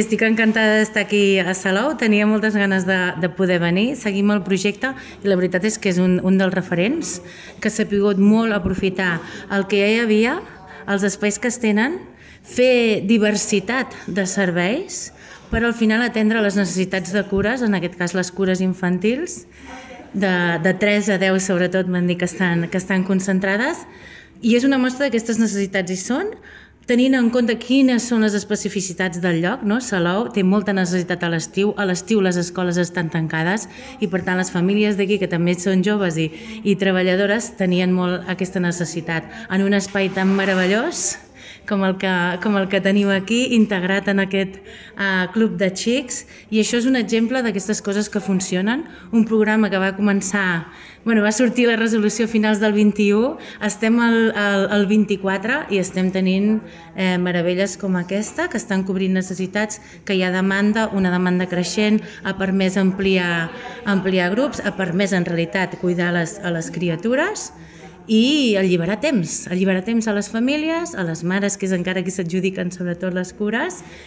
Estic encantada d'estar aquí a Salou, tenia moltes ganes de poder venir, seguim el projecte i la veritat és que és un dels referents que s'ha pogut molt aprofitar el que ja hi havia, els espais que es tenen, fer diversitat de serveis per al final atendre les necessitats de cures, en aquest cas les cures infantils, de 3 a 10 sobretot m'han dit que estan concentrades, i és una mostra d'aquestes necessitats hi són, tenint en compte quines són les especificitats del lloc, no? Salou té molta necessitat a l'estiu les escoles estan tancades i per tant les famílies d'aquí, que també són joves i treballadores, tenien molt aquesta necessitat en un espai tan meravellós com el que tenim aquí, integrat en aquest club de xics, i això és un exemple d'aquestes coses que funcionen. Un programa que va començar, va sortir la resolució a finals del 21, estem al 24 i estem tenint meravelles com aquesta, que estan cobrint necessitats, que hi ha demanda, una demanda creixent, ha permès ampliar grups, ha permès en realitat cuidar a les criatures, i alliberar temps a les famílies, a les mares, que és encara qui s'adjudiquen sobretot les cures,